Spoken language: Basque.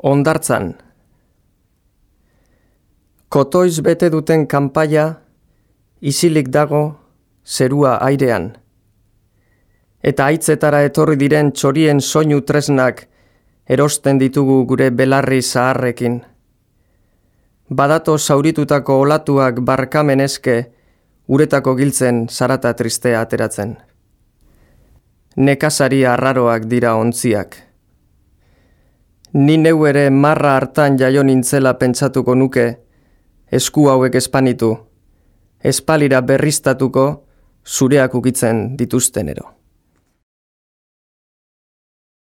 Hondartzan. Kotoiz bete duten kanpaia, isilik dago, zerua airean. Eta haitzetara etorri diren txorien soinu tresnak erosten ditugu gure belarri zaharrekin. Badato zauritutako olatuak barkamen eske, uretako giltzen zarata tristea ateratzen. Nekazari arraroak dira ontziak. Ni neu ere marra hartan jaio nintzela pentsatuko nuke, esku hauek espanitu, espalira berriztatuko zureak ukitzen dituztenero.